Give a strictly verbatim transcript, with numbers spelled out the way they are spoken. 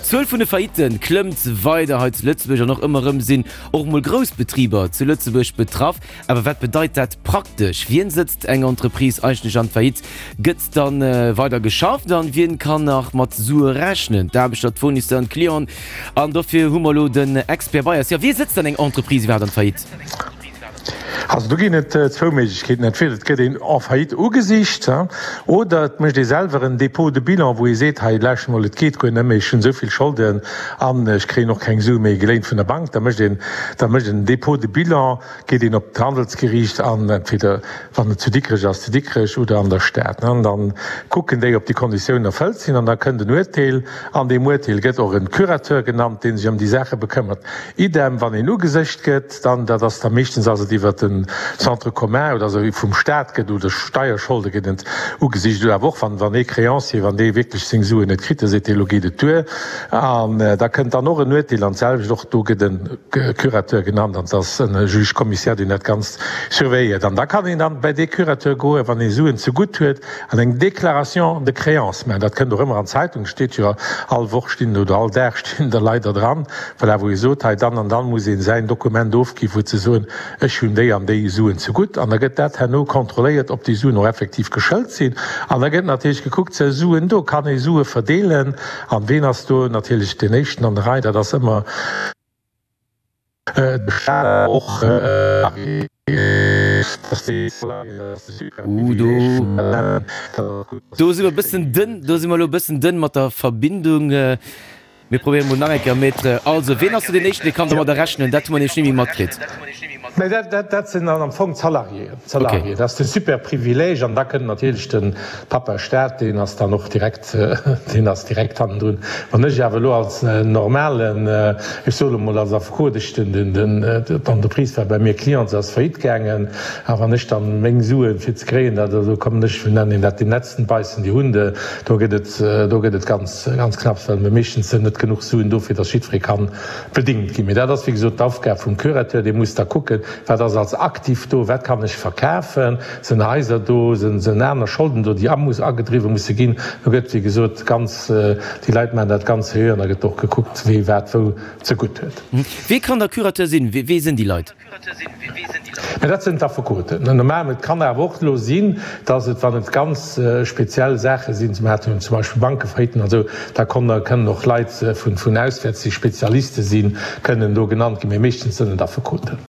D'Zuel vun de Faillitten klëmmt weider hei zu Lëtzebuerg an och ëmmer erëm sinn och mol grouss Betriber zu Lëtzebuerg betraff. Awer wat bedeit dat praktesch? Wien sëtzt eng Entreprise eigentlech an d'Faillite? Gëtt dann weider geschafft an wien kann nach mat Sue rechnen? D'Aarbechter, d'Fournisseuren, d'Clienten? An dofir hu mer elo den Expert bei eis. Jo, wie sëtzt dann eng Entreprise iwwerhaapt an d'Faillite? Also do ginn et zwou Méiglechkeeten, Entweder et gëtt een en faillite ugesicht oder et mécht ee selwer en Dépôt de bilan, wou ee seet, hei lauschtert mol, et geet guer net méi, ech hunn esou vill Scholden an ech kréien och keng Sue méi geléint vun der Bank. Da mécht een, da mécht een en Dépôt de bilan, geet een op d'Handelsgeriicht an entweder, wann et zu Dikrech ass, zu Dikrech oder an der Stad, an da kucken déi, ob déi Konditiounen erfëllt sinn an da kënnt en Uerteel. An deem Uerteel gëtt och en Curateur genannt, dee sech ëm déi Saache bekëmmert. Idem, wann een ugesicht gëtt, dann, dat ass da meeschtens ass et iwwert den Centre commun oder esou vum Staat gëtt oder Steierscholde gëtt et ugesicht oder awer och wann wann ee Créancier, wann dee wierklech seng Suen net kritt, da seet dee, elo geet et duer. An da kënnt dann och en Uerteel an d'selwecht, och do gëtt e Curateur genannt an et ass e Juge commissaire, deen dat Ganzt surveilléiert. An da kann een dann bei dee Curateur goen, wann ee Suen zegutt huet an eng Déclaration de créance maachen. Dat kënnt och ëmmer an d'Zeitung, steet jo all Woch stinn oder all Dag stinn der Leit der dran, voilà, wou ee sot, hei dann an dann muss ee säin Dokument ofginn, wou ze soen, ech hunn déi an déi Suen zegutt. An da gëtt dat herno kontrolléiert, ob déi Suen och effektiv geschëlt sinn. An da gëtt natierlech gekuckt, si Suen do, kann ee Sue verdeelen? An ween ass do natierlech deen éischten an der Rei? Dat ass ëmmer de Staat och. Uh, do, do si mer e bëssen dënn, do si mer elo e bëssen dënn mat der Verbindung. Mir probéieren mol nach eng Kéier, Maître. Also, ween ass do deen Éischten, dee kann domadder rechnen? Dat hu mer nämlech ni méi matkritt. Mä dat, dat, dat sinn dann am Fong d'Salariéen. D'Salariéen, dat ass de Superprivileeg. An da kënnt natierlech de Papa Staat, deen ass dann och direkt, deen ass direkt hannendrun. Wann ech awer elo als normalen, ech soe lo mol als Affekot, ech, den, den, den, d'Entreprise war bei mir Client, se ass faillite gaangen, a wann ech dann meng Suen fir ze kréien, dat, do kommen ech, wéi nennen een dat, den letzten beißen die Hunde, do gëtt et, do gëtt et ganz, ganz knapps, well mir meeschtens net genuch Suen do fir datt jiddweree kann bedingt ginn. Mee dat ass wéi gesot d'Aufgab vum Curateur, dee muss da kucken, wat ass als Aktiv do, wat kann ech verkafen, sinn Haiser do, sinn aner Scholden do, déi amus agedriwwe musse ginn. Do gëtt wéi gesot ganz, déi Leit maachen dat ganz seriö an da gëtt och gekuckt, wee wat wou zegutt huet. Wee kann da Curateur sinn? Wee sinn déi Leit? Mä dat sinn d'Affekoten. Normal, et kann awer och elo sinn, datt et, wann et ganz speziell Saache sinn, mir haten zum Beispill Bankefailliten an esou, da kënnen och Leit vun auswäerts, déi Spezialiste sinn, kënnen do genannt ginn. Mee meeschtens sënn et Affekoten.